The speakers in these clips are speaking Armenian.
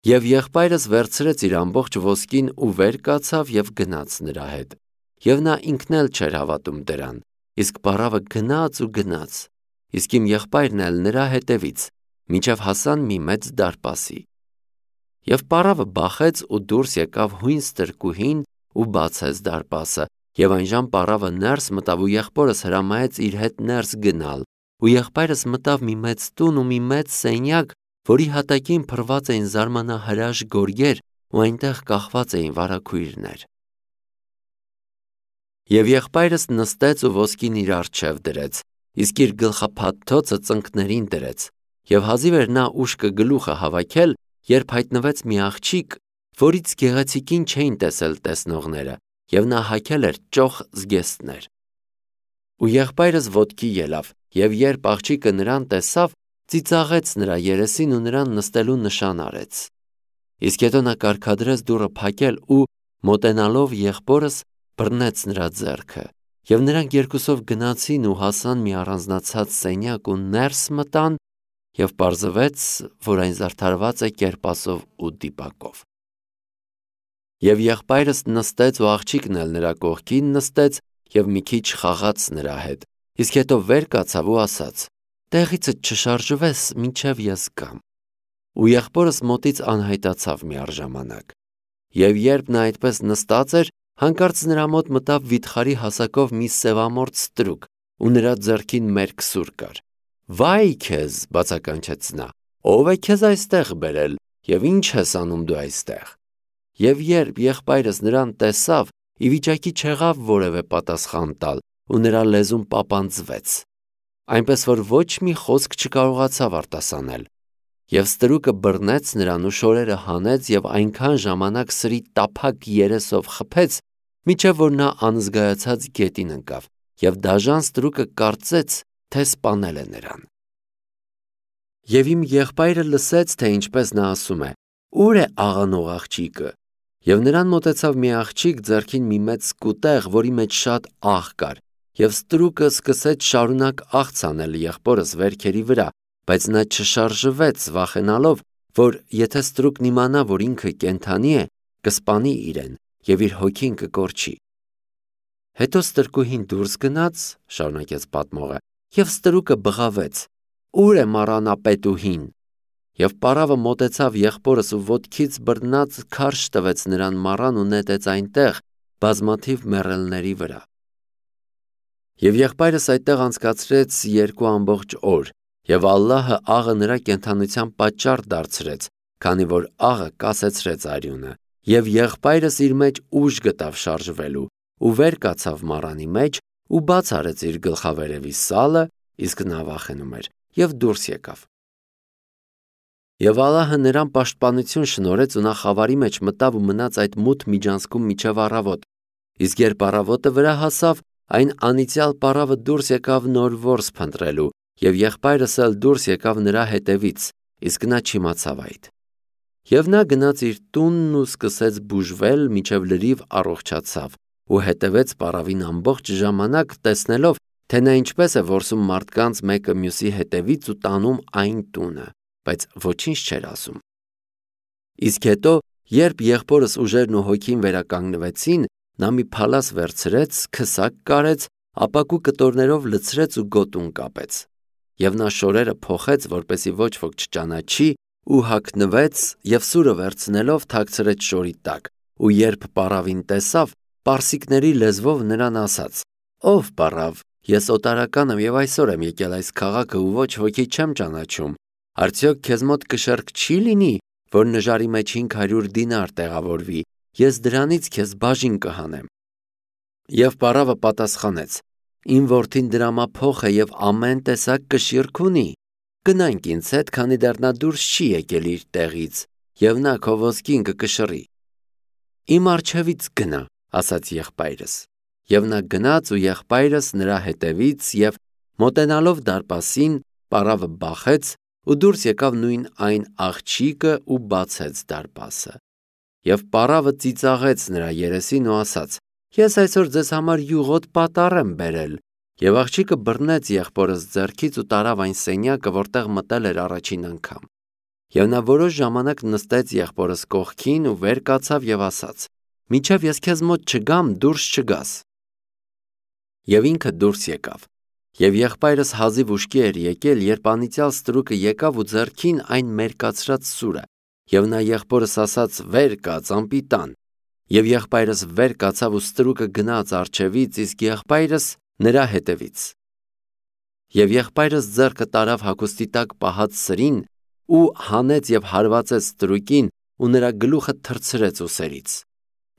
Եվ եղբայրս վերցրեց իր ամբողջ ոսկին ու վեր կացավ և գնաց նրա հետ։ Եվ նա ինքն էլ չէր հավատում դրան, իսկ պարավը գնաց ու գնաց, իսկ իմ եղբայրն էլ նրա հետևից, մինչև հասան մի մեծ դարպասի։ Եվ պարավը բախեց ու դուրս եկավ հույն ստրկուհին ու բացեց դարպասը, և այնժամ պարավը ներս մտավ ու եղբորս հրամայեց իր հետ ներս գնալ, ու եղբայրս մտավ մի մեծ տուն ու մի մեծ սենյակ, որի հատակին փռված էին զարմանահրաշ գորգեր ու այնտեղ կախված էին վարագույրներ։ Եվ եղբայրս նստեց ու ոսկին իր առջև դրեց, իսկ իր գլխափաթթոցը ծնկներին դրեց, և հազիվ էր նա ուշքը գլուխը հավաքել, երբ հայտնվեց մի աղջիկ, որից գեղեցիկին չէին տեսել տեսնողները, և նա հագել էր ճոխ զգեստներ։ Ու եղբայրս ոտքի ելավ, և երբ աղջիկը նրան տեսավ, ծիծաղեց նրա երեսին ու նրան նստելու նշան արեց։ Իսկ հետո նա կարգադրեց դուռը փակել ու, մոտենալով եղբորս, բռնեց նրա ձեռքը, և նրանք երկուսով գնացին ու հասան մի առանձնացած սենյակ ու ներս մտան, և պարզվեց, որ այն զարդարված է կերպասով ու դիպակով։ Եվ եղբայրս նստեց ու աղջիկն էլ նրա կողքին նստեց և մի քիչ խաղաց նրա հետ, իսկ հետո վեր կացավ ու ասաց. «Տեղիցդ չշարժվես, մինչև ես գամ»։ Ու եղբորս մոտից անհայտացավ միառժամանակ։ Եվ երբ նա այդպես նստած էր, հանկարծ նրա մոտ մտավ վիթխարի հասակով մի սևամորթ ստրուկ, ու նրա ձեռքին մերկ սուր կար։ «Վայ քեզ», բացականչեց նա, «ով է քեզ այստեղ բերել, և ինչ ես անում դու այստեղ»։ Եվ երբ եղբայրս նրան տեսավ, ի վիճակի չեղավ որևէ պատասխան տալ, ու նրա լեզուն պապանձվեց, այնպես որ ոչ մի խոսք չկարողացավ արտասանել։ Եվ ստրուկը բռնեց նրան ու շորերը հանեց և այնքան ժամանակ սրի տափակ երեսով խփեց, մինչև որ նա անզգայացած գետին ընկավ, և դաժան ստրուկը կարծեց, թե սպանել է նրան։ Եվ իմ եղբայրը լսեց, թե ինչպես նա ասում է. «Ո՞ւր է աղանող աղջիկը»։ Եվ նրան մոտեցավ մի աղջիկ ձեռքին մի մեծ սկուտեղ, որի մեջ շատ աղ կար, և ստրուկը սկսեց շարունակ աղց անել եղբորս վերքերի վրա, բայց նա չշարժվեց, վախենալով, որ եթե ստրուկն իմանա, որ ինքը կենդանի է, կսպանի իրեն և իր հոգին կկորչի։ Հետո ստրկուհին դուրս գնաց, շարունակեց պատմողը, և ստրուկը բղավեց. «Ո՞ւր է մառանապետուհին»։ Եվ պարավը մոտեցավ եղբորս ու ոտքից բռնած քարշ տվեց նրան մառան ու նետեց այնտեղ բազմաթիվ մեռելների վրա։ Եվ եղբայրս այդտեղ անցկացրեց 2 ամբողջ օր, և Ալլահը աղը նրա կենդանության պատճառ դարձրեց, քանի որ աղը կասեցրեց արյունը, և եղբայրս իր մեջ ուժ գտավ շարժվելու, ու վեր կացավ մառանի մեջ ու բաց արեց իր գլխավերևի սալը, իսկ նա վախենում էր, և դուրս եկավ։ Եվ Ալլահը նրան պաշտպանություն շնորհեց ու նա խավարի մեջ մտավ ու մնաց այդ մութ միջանցքում մինչև առավոտ, իսկ երբ առավոտը վրա հասավ, այն անիծյալ պարավը դուրս եկավ նոր որս փնտրելու, և եղբայրս էլ դուրս եկավ նրա հետևից, իսկ նա չիմացավ այդ։ Եվ նա գնաց իր տունն ու սկսեց բուժվել, մինչև լրիվ առողջացավ, ու հետևեց պարավին ամբողջ ժամանակ, տեսնելով, թե նա ինչպես է որսում մարդկանց մեկը մյուսի հետևից ու տանում այն տունը, բայց ոչինչ չէր ասում։ Իսկ հետո, երբ եղբորս ուժերն ու հոգին վերականգնվեցին, նա մի փալաս վերցրեց, քսակ կարեց, ապակու կտորներով լցրեց ու գոտուն կապեց։ Եվ նա շորերը փոխեց, որպեսզի ոչ ոք չճանաչի, ու հագնվեց, և սուրը վերցնելով թաքցրեց շորի տակ, ու երբ պարավին տեսավ, պարսիկների լեզվով նրան ասաց. «Ով պարավ, ես օտարական եմ և այսօր եմ եկել այս քաղաքը ու ոչ ոքի չեմ ճանաչում, արդյոք քեզ մոտ կշեռք չի լինի, որ նժարի մեջ 500 դինար տեղավորվի, ես դրանից քեզ բաժին կհանեմ»։ Եվ պարավը պատասխանեց. «Իմ որդին դրամափոխ է և ամեն տեսակ կշիռք ունի, գնանք ինձ հետ, քանի դեռ նա դուրս չի եկել իր տեղից, և նա քո ոսկին կկշռի»։ «Իմ առջևից գնա», ասաց եղբայրս։ Եվ նա գնաց ու եղբայրս նրա հետևից, և մոտենալով դարպասին, պարավը բախեց ու դուրս եկավ նույն այն աղջիկը ու բացեց դարպասը։ Եվ պարավը ծիծաղեց նրա երեսին ու ասաց. «Ես այսօր ձեզ համար յուղոտ պատառ եմ բերել»։ Եվ աղջիկը բռնեց եղբորս ձեռքից ու տարավ այն սենյակը, որտեղ մտել էր առաջին անգամ։ Եվ նա որոշ ժամանակ նստեց եղբորս կողքին ու վեր կացավ եւ ասաց. «Մինչև ես քեզ մոտ չգամ, դուրս չգաս»։ Եվ ինքը դուրս եկավ։ Եվ եղբայրս հազիվ ուշքի էր եկել, երբ անիծյալ ստրուկը եկավ ու ձեռքին այն մերկացրած սուրը, եւ նա եղբորս ասաց. «Վեր կաց, անպիտան»։ Եվ եղբայրս վեր կացավ ու ստրուկը գնաց առջևից, իսկ եղբայրս նրա հետևից։ Եվ եղբայրս ձեռքը տարավ հագուստի տակ պահած սրին ու հանեց եւ հարվածեց ստրուկին ու նրա գլուխը թռցրեց ուսերից։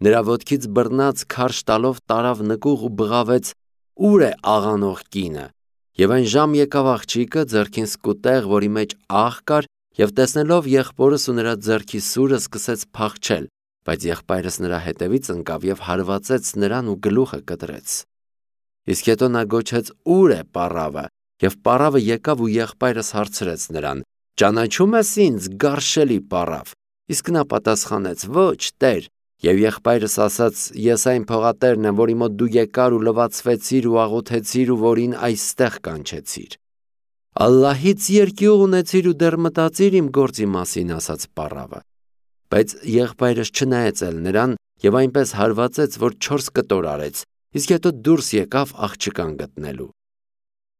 Նրա ոտքից բռնած քարշ տալով տարավ նկուղ ու բղավեց. «Ուր է աղանող կինը»։ Եվ այն ժամ եկավ աղջիկը ձեռքին սկուտեղ, որի մեջ աղ կար, եւ տեսնելով եղբորս ու նրա ձեռքի սուրը սկսեց փախչել, բայց եղբայրս նրա հետևից ընկավ եւ հարվածեց նրան ու գլուխը կտրեց։ Իսկ հետո նա գոչեց. «Ուր է պառավը»։ Եվ պառավը եկավ ու եղբայրս հարցրեց նրան. «Ճանաչում ես ինձ, գարշելի պառավ»։ Իսկ նա պատասխանեց. «Ոչ, Տեր»։ Եվ եղբայրս ասաց. «Ես այն փողատերն եմ, որի մոտ դու եկար ու լվացվեցիր ու աղոթեցիր ու որին այստեղ կանչեցիր»։ «Ալլահից երկյուղ ունեցիր ու դեռ մտածիր իմ գործի մասին», ասաց պառավը։ Բայց եղբայրս չնայեց էլ նրան եւ այնպես հարվածեց, որ 4 կտոր արեց, իսկ հետո դուրս եկավ աղջկան գտնելու։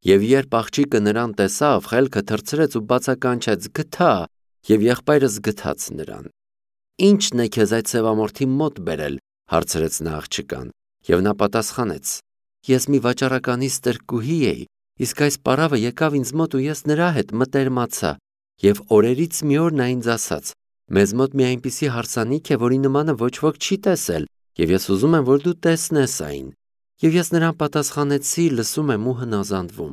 Եվ երբ աղջիկը նրան տեսավ, խելքը թռցրեց ու բացականչեց. «Գթա», եւ եղբայրս գթաց նրան։ «Ի՞նչն է քեզ այդ սևամորթի մոտ բերել», հարցրեց նա աղջկան, եւ նա պատասխանեց. «Ես մի վաճառականի ստրկուհի էի, իսկ այս պառավը եկավ ինձ մոտ ու ես նրա հետ մտերմացա, եւ օրերից մի օր նա ինձ ասաց. մեզ մոտ մի այնպիսի հարսանիք է, որի նմանը ոչ ոք չի տեսել, եւ ես ուզում եմ, որ դու տեսնես այն։ Եվ ես նրան պատասխանեցի, լսում եմ ու հնազանդվում։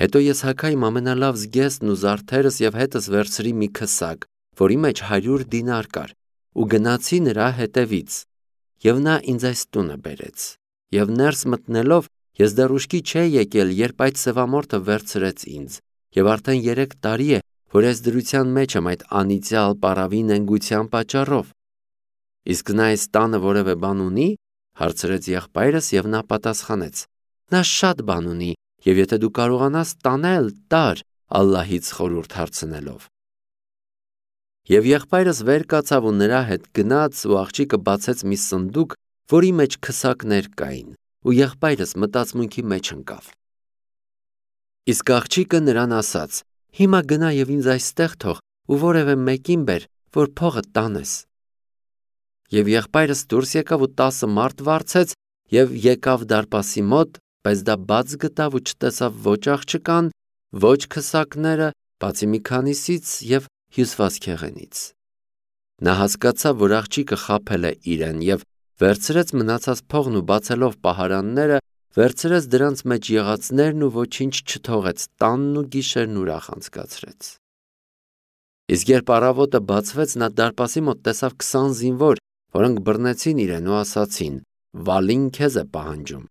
Հետո ես հագա իմ ամենալավ զգեստն ու զարդերս եւ հետս վերցրի մի քսակ, որի մեջ 100 դինար կար, ու գնացի նրա հետևից, եւ նա ինձ այս տունը բերեց։ Եվ ներս մտնելով ես դեռ ուշքի չէի եկել, երբ այդ սևամորթը վերցրեց ինձ, եւ արդեն 3 տարի է, որ ես դրության մեջ եմ այդ անիծյալ պառավի նենգության պատճառով։ Իսկ նա այս տանը որևէ բան ունի, հարցրեց եղբայրս, եւ նա պատասխանեց. նա շատ բան ունի, եւ եթե դու կարողանաս տանել, տար, Ալլահից խորհուրդ հարցնելով։ Եվ եղբայրս վեր կացավ ու նրա հետ գնաց ու աղջիկը բացեց մի սնդուկ, որի մեջ քսակներ կային, ու եղբայրս մտածմունքի մեջ ընկավ։ Իսկ աղջիկը նրան ասաց. «Հիմա գնա եւ ինձ այստեղ թող ու որևէ մեկին բեր, որ փողը տանես»։ Եվ եղբայրս դուրս եկավ ու 10 մարդ վարձեց եւ եկավ դարպասի մոտ, բայց դա բաց գտավ ու չտեսավ ոչ աղջկան, ոչ քսակները, բացի մի քանիսից եւ հյուսվածքեղենից։ Նա հասկացավ, որ աղջիկը խաբել է իրեն եւ վերցրեց մնացած փողն ու բացելով պահարանները, վերցրեց դրանց մեջ եղածներն ու ոչինչ չթողեց, տանն ու գիշերն ուրախ անցկացրեց։ Իսկ երբ առավոտը բացվեց, նա դարպասի մոտ տեսավ 20 զինվոր, որոնք բռնեցին իրեն ու ասացին. «Վալին քեզ է պահանջում»։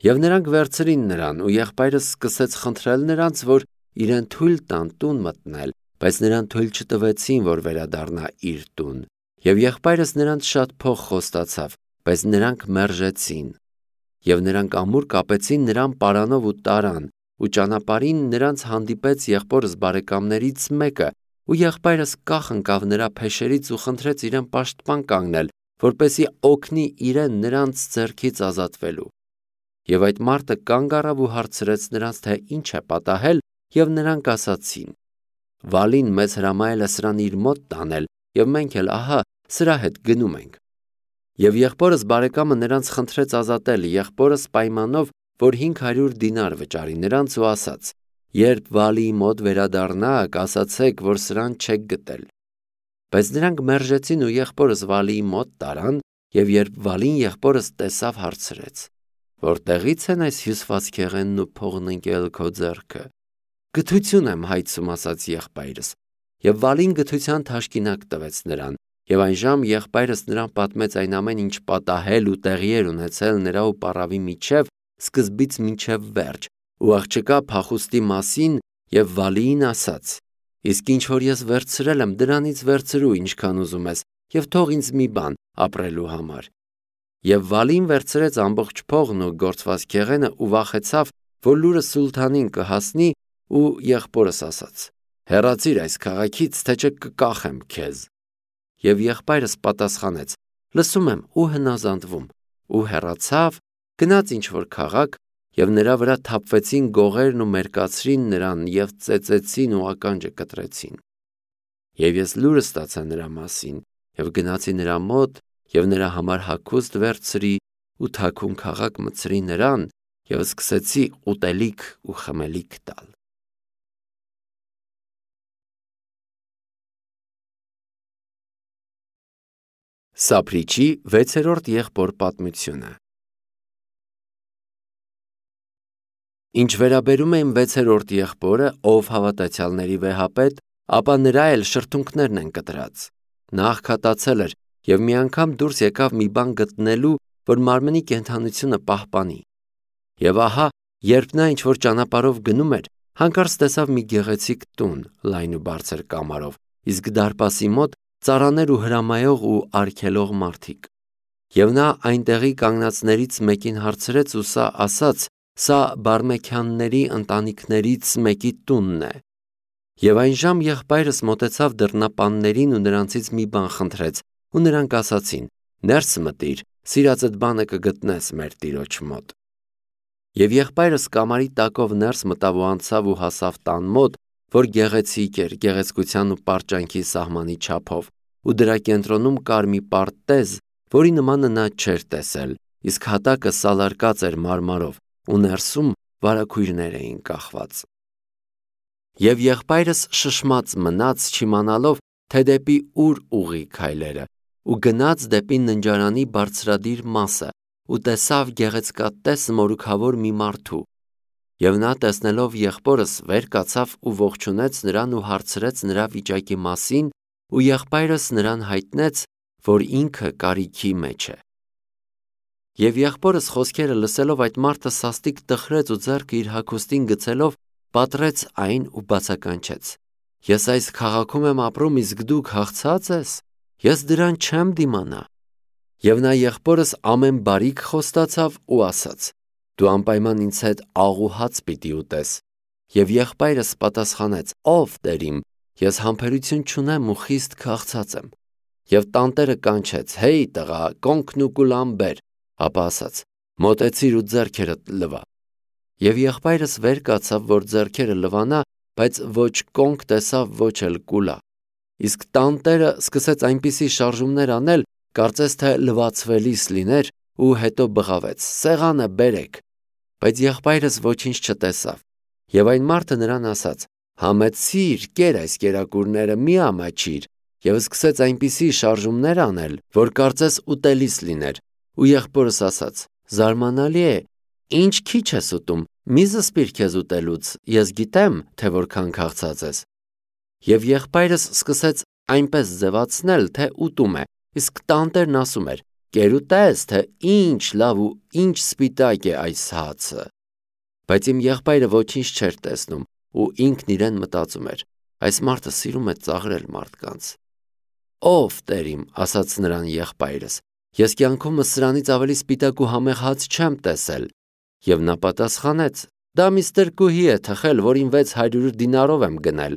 Եվ նրանք վերցրին նրան, ու եղբայրս սկսեց խնդրել նրանց, որ իրեն թույլ տան տուն մտնել, բայց նրան թույլ չտվեցին, որ վերադառնա իր տուն։ Եվ եղբայրս նրանց շատ փող խոստացավ, բայց նրանք մերժեցին։ Եվ նրանք ամուր կապեցին նրան պարանով ու տարան, ու ճանապարհին նրանց հանդիպեց եղբորս բարեկամներից մեկը, ու եղբայրս կախ ընկավ նրա փեշերից ու խնդրեց իրեն պաշտպան կանգնել, որպեսզի օգնի իրեն նրանց ձեռքից ազատվելու։ Եվ այդ մարդը կանգ առավ ու հարցրեց նրանց, թե ինչ է պատահել, եւ նրանք ասացին. «Վալին մեզ հրամայել է սրան իր մոտ տանել, եւ մենք էլ ահա սրա հետ գնում ենք»։ Եվ եղբորս բարեկամը նրանց խնդրեց ազատել, եղբորս պայմանով, որ 500 դինար վճարի նրանց ու ասաց. «Երբ Վալիի մոտ վերադառնաք, ասացեք, որ սրան չեք գտել»։ Բայց նրանք մերժեցին ու եղբորս Վալիի մոտ տարան, եւ երբ Վալին եղբորս տեսավ, հարցրեց. «Որտեղից են այս հյուսվածքեղենն ու փողն ընկել քո ձեռքը»։ «Գթություն եմ հայցում», ասաց եղբայրս։ Եվ Վալին գթության թաշկինակ տվեց նրան, եւ այն ժամ եղբայրս նրան պատմեց այն ամեն ինչ պատահել ու տեղի էր ունեցել նրա ու պառավի միջև, սկզբից մինչև վերջ, ու աղջկա փախուստի մասին, եւ Վալիին ասաց. «Իսկ ինչ որ ես վերցրել եմ, դրանից վերցրու ինչքան ուզում ես, եւ թող ինձ մի բան ապրելու համար»։ Եվ Վալին վերցրեց ամբողջ փողն ու գործվածքեղենը ու վախեցավ, որ լուրը սուլթանին կհասնի, ու եղբորս ասաց. Հեռացիր այս քաղաքից, թե չէ կկախեմ քեզ։ Եվ եղբայրս պատասխանեց. լսում եմ ու հնազանդվում, ու հեռացավ, գնաց ինչ-որ քաղաք, և նրա վրա թափվեցին գողերն ու մերկացրին նրան և ծեծեցին ու ականջը կտրեցին։ Եվ ես լուրը ստացա նրա մասին, և գնացի նրա մոտ, և նրա համար հագուստ վերցրի ու թաքուն քաղաք մտցրի նրան, և սկսեցի ուտելիք ու խմելիք տալ։ Սափրիչի 6-րդ եղբոր պատմությունը։ Ինչ վերաբերում է իմ 6-րդ եղբորը, ով հավատացյալների վեհապետ, ապա նրա էլ շրթունքներն են կտրած։ Նա աղքատացել էր և մի անգամ դուրս եկավ մի բան գտնելու, որ մարմնի կենդանությունը պահպանի։ Եվ ահա, երբ նա ինչ-որ ճանապարհով գնում էր, հանկարծ տեսավ մի գեղեցիկ տուն, լայն ու բարձր կամարով, իսկ դարպասի մոտ ծառաներ ու հրամայող ու արգելող մարդիկ։ Եվ նա այնտեղի կանգնածներից մեկին հարցրեց, ու սա ասաց. «Սա Բարմեքյանների ընտանիքներից մեկի տունն է»։ Եվ այնժամ եղբայրս մոտեցավ դռնապաններին ու նրանցից մի բան խնդրեց, ու նրանք ասացին. «Ներս մտիր, սիրածդ բանը կգտնես մեր տիրոջ մոտ»։ Եվ եղբայրս կամարի տակով ներս մտավ ու անցավ ու հասավ տան մոտ, որ գեղեցիկ էր, գեղեցկության ու պարճանքի սահմանի չափով, ու դրա կենտրոնում կար մի պարտեզ, որի նմանը նա չէր տեսել, իսկ հատակը սալարկած էր մարմարով, ու ներսում վարագույրներ էին կախված։ Եվ եղբայրս շշմած մնաց, չիմանալով, թե դեպի ուր ուղղի քայլերը, ու գնաց դեպի ննջարանի բարձրադիր մասը, ու տեսավ գեղեցկատես մորուքավոր մի մարդու։ Եվ նա տեսնելով եղբորս վեր կացավ ու ողջունեց նրան ու հարցրեց նրա վիճակի մասին, ու եղբայրս նրան հայտնեց, որ ինքը կարիքի մեջ է։ Եվ եղբորս խոսքերը լսելով այդ մարդը սաստիկ տխրեց ու ձեռքը իր հագուստին գցելով պատռեց այն ու բացականչեց. «Ես այս քաղաքում եմ ապրում, իսկ դու քաղցած ես, ես դրան չեմ դիմանա»։ Եվ նա եղբորս ամեն բարիք խոստացավ ու ասաց. «Դու անպայման ինձ հետ աղ ու հաց պիտի ուտես»։ Եվ եղբայրս պատասխանեց. «Ով Տեր իմ, ես համբերություն չունեմ ու խիստ քաղցած եմ»։ Եվ տանտերը կանչեց. «Հեյ տղա, կոնքն ու կուլան բեր»։ Ապա ասաց. «Մոտեցիր ու ձեռքերդ լվա»։ Եվ եղբայրս վեր կացավ, որ ձեռքերը լվանա, բայց ոչ կոնք տեսավ, ոչ էլ կուլա։ Իսկ տանտերը սկսեց այնպիսի շարժումներ անել, կարծես թե լվացվելիս լիներ, ու հետո բղավեց. «Սեղանը բերեք»։ Բայց եղբայրս ոչինչ չտեսավ։ Եվ այն մարդը նրան ասաց. «Համեցիր, կեր այս կերակուրները, մի ամաչիր»։ Եվ սկսեց այնպիսի շարժումներ անել, որ կարծես ուտելիս լիներ։ Ու եղբորս ասաց. «Զարմանալի է, ինչ քիչ ես ուտում, մի զսպիր քեզ ուտելուց, ես գիտեմ, թե որքան քաղցած ես»։ Եվ եղբայրս սկսեց այնպես ձևացնել, թե ուտում է, իսկ տանտերն ասում էր. «Կեր ու տես, թե ինչ լավ ու ինչ սպիտակ է այս հացը»։ Բայց իմ եղբայրը ոչինչ չէր տեսնում, ու ինքն իրեն մտածում էր. «Այս մարդը սիրում է ծաղրել մարդկանց»։ «Ով Տեր իմ», ասաց նրան եղբայրս, «ես կյանքումս սրանից ավելի սպիտակ ու համեղ հաց չեմ տեսել»։ Եվ նա պատասխանեց. «Դա մի ստրկուհի է թխել, որին 600 դինարով եմ գնել»։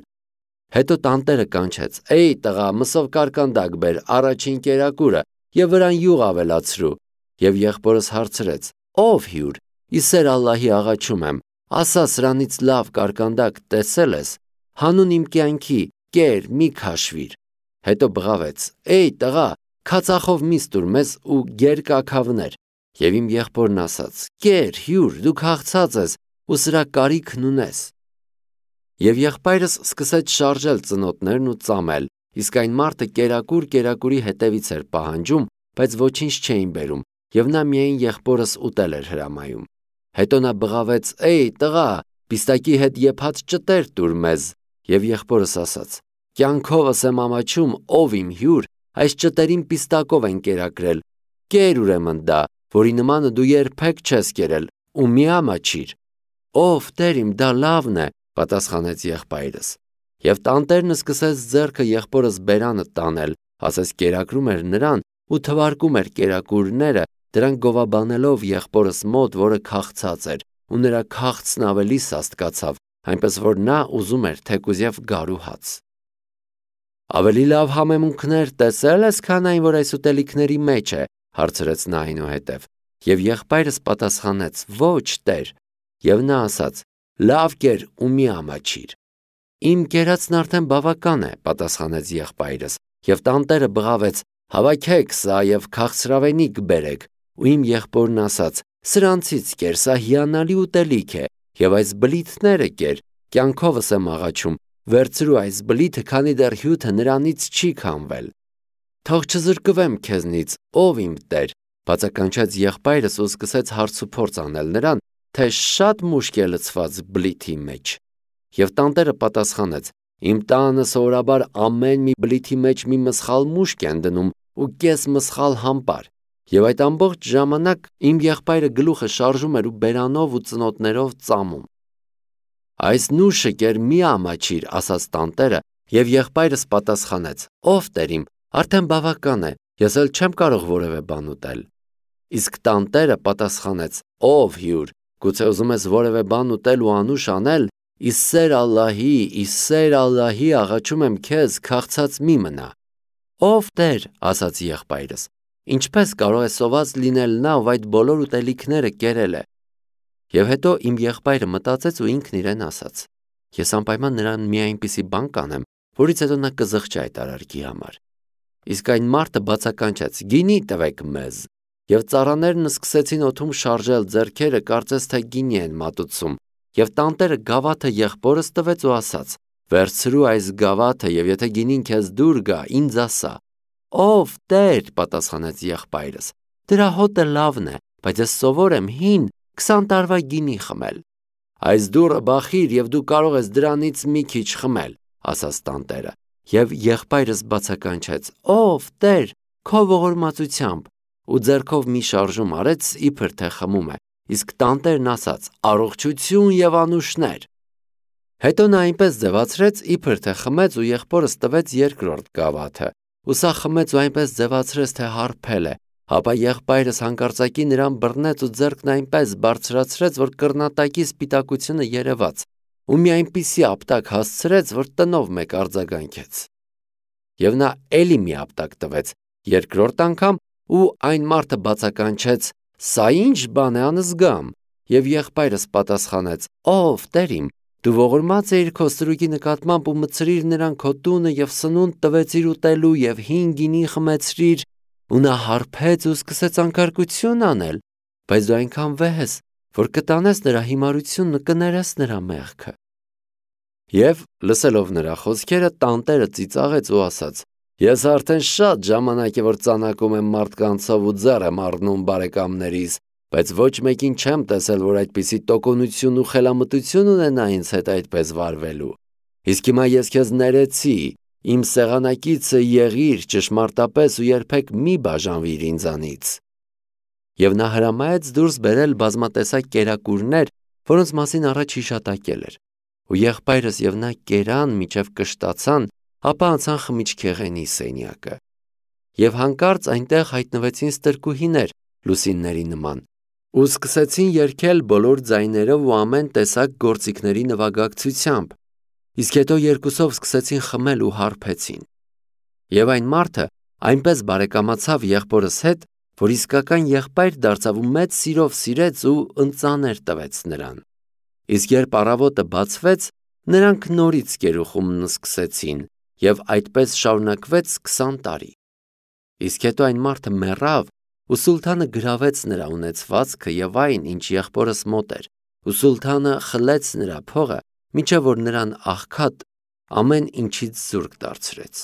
Հետո տանտերը կանչեց. «Էյ տղա, մսով կարկանդակ բեր, առաջին կերակուրը, և վրան յուղ ավելացրու»։ Եվ եղբորս հարցրեց. «Ով հյուր, ի սեր Ալլահի աղաչում եմ, ասա սրանից լավ կարկանդակ տեսել ես, հանուն իմ կյանքի, կեր, մի քաշվիր»։ Հետո բղավեց. «Էյ տղա, քացախով միս տուր մեզ ու գերկաքավներ»։ Եվ իմ եղբորն ասաց. «Կեր, հյուր, դու քաղցած ես ու սրա կարիքն ունես»։ Եվ եղբայրս սկսեց շարժել ծնոտներն ու ծամել, իսկ այն մարդը կերակուր կերակուրի հետևից էր պահանջում, բայց ոչինչ չէին բերում, և նա միայն եղբորս ուտել էր հրամայում։ Հետո նա բղավեց. «Էյ տղա, պիստակի հետ եփած ճտեր տուր մեզ»։ Եվ եղբորս ասաց. «Կյանքովս եմ ամաչում, ով իմ հյուր, այս ճտերին պիստակով են կերակրել, կեր ուրեմն դա, որի նմանը դու երբեք չես կերել, ու մի ամաչիր»։ «Ով Տեր իմ, դա լավն է», պատասխանեց եղբայրս։ Եվ տանտերն սկսեց ձեռքը եղբորս բերանը տանել, ասես կերակրում էր նրան ու թվարկում էր կերակուրները, դրանք գովաբանելով եղբորս մոտ, որը քաղցած էր, ու նրա քաղցն ավելի սաստկացավ, այնպես որ նա ուզում էր թեկուզև գարու հաց։ Ավելի լավ համեմունքներ տեսել ես, քան այն, որ այս ուտելիքների մեջ է, հարցրեց նա այնուհետև, եւ եղբայրս պատասխանեց. ոչ, տեր, եւ նա ասաց. լավ կեր ու մի ամաչիր։ Իմ կերածն արդեն բավական է, պատասխանեց եղբայրս, եւ տանտերը բղավեց. հավաքեք սա եւ քաղցրավենիք բերեք, ու իմ եղբորն ասաց. սրանցից կեր, սա հիանալի ուտելիք է, եւ այս բլիթները կեր, կյանքովս եմ աղաչում, վերցրու այս բլիթը, քանի դեռ հյութը նրանից չի քամվել։ Թող չզրկվեմ քեզնից, ով իմ տեր, բացականչեց եղբայրս ու սկսեց հարցուփորձ անել նրան, թե շատ մուշկ է լցված բլիթի մեջ։ Եվ տանտերը պատասխանեց. իմ տանը սովորաբար ամեն մի բլիթի մեջ մի մսխալ մուշկ են դնում ու կես մսխալ համբար, եւ այդ ամբողջ ժամանակ իմ եղբայրը գլուխը շարժում էր ու բերանով ու ծնոտներով ծամում։ Այս նուշը կեր մի ամաչիր, ասաց տանտերը, եւ եղբայրս պատասխանեց. ով տեր իմ, արդեն բավական է, ես էլ չեմ կարող որևէ բան ուտել։ Իսկ տանտերը պատասխանեց. ով հյուր, գուցե ուզում ես որևէ բան ուտել ու անուշ անել, իսեր Ալլահի, աղաչում եմ քեզ, քաղցած մի մնա։ Ով տեր, ասաց եղբայրս, ինչպես կարող է սոված լինել նա, ով այդ բոլոր ուտելիքները կերել է։ Եվ հետո իմ եղբայրը մտածեց ու ինքն իրեն ասաց. ես անպայման նրան մի այնպիսի բան կանեմ, որից հետո նա կզղջի այդ արարքի համար։ Իսկ այն մարդը բացականչեց. գինի տվեք մեզ։ Եվ ծառաներն սկսեցին օդում շարժել ձեռքերը, կարծես թե գինի են մատուցում, եւ տանտերը գավաթը եղբորս տվեց ու ասաց. վերցրու այս գավաթը, եւ եթե գինին քեզ դուր գա, ինձ ասա։ Ով տեր, պատասխանեց եղբայրս, դրա հոտը լավն է, բայց ես սովոր եմ հին 20 տարվա գինի խմել։ Այս դուռը բախիր եւ դու կարող ես դրանից մի քիչ խմել, ասաց տանտերը, եւ եղբայրս բացականչեց. ով տեր, քո ողորմածությամբ, ու ձեռքով մի շարժում արեց, իբր թե խմում է, իսկ տանտերն ասաց. առողջություն եւ անուշներ։ Հետո նա այնպես ձևացրեց, իբր թե խմեց ու եղբորս տվեց երկրորդ գավաթը, ու սա խմեց ու այնպես ձևացրեց, թե հարբել է, ապա եղբայրս հանկարծակի նրան բռնեց ու ձեռքն այնպես բարձրացրեց, որ կռնատակի սպիտակությունը երևաց, ու մի այնպիսի ապտակ հասցրեց, որ տնով մեկ արձագանքեց։ Եվ նա էլի մի ապտակ տվեց, երկրորդ անգամ, ու այն մարդը բացականչեց. սա ինչ բան է անզգամ, եւ եղբայրս պատասխանեց. ով տեր իմ, դու ողորմած էիր քո ստրուկի նկատմամբ ու մտցրիր նրան քո տունը եւ սնունդ տվեցիր ուտելու եւ հին գինի խմեցրիր, ու նա հարբեց ու սկսեց անկարգություն անել, բայց դու այնքան վեհ ես, որ կտանես նրա հիմարությունն ու կներես նրա մեղքը։ Եվ լսելով նրա խոսքերը, տանտերը ծիծաղեց ու ասաց. ես արդեն շատ ժամանակ է որ ծանակում եմ մարդկանցով ու ձեռ եմ առնում բարեկամներիս, բայց ոչ մեկին չեմ տեսել, որ այդպիսի տոկունություն ու խելամտություն ունենա ինձ հետ այդպես վարվելու։ Իսկ հիմա ես քեզ ներեցի, իմ սեղանակիցը եղիր ճշմարտապես ու երբեք մի բաժանվիր ինձանից։ Եվ նա հրամայեց դուրս բերել բազմատեսակ կերակուրներ, որոնց մասին առաջ հիշատակել էր, ու եղբայրս եւ նա կերան միջև կշտացան, ապա անցան խմիչքեղենի սենյակը։ Եվ հանկարծ այնտեղ հայտնվեցին ստրկուհիներ լուսինների նման, ու սկսեցին երգել բոլոր ձայներով ու ամեն տեսակ գործիքների նվագակցությամբ, իսկ հետո երկուսով սկսեցին խմել ու հարբեցին։ Եվ այն մարդը այնպես բարեկամացավ եղբորս հետ, որ իսկական եղբայր դարձավ ու մեծ սիրով սիրեց ու ընծաներ տվեց նրան։ Իսկ երբ առավոտը բացվեց, նրանք նորից կերուխումն սկսեցին, եւ այդպես շարունակվեց 20 տարի։ Իսկ հետո այն մարդը մեռավ, ու սուլթանը գրավեց նրա ունեցվածքը եւ այն, ինչ եղբորս մոտ էր, ու սուլթանը խլեց նրա փողը, մինչև որ նրան աղքատ ամեն ինչից զուրկ դարձրեց։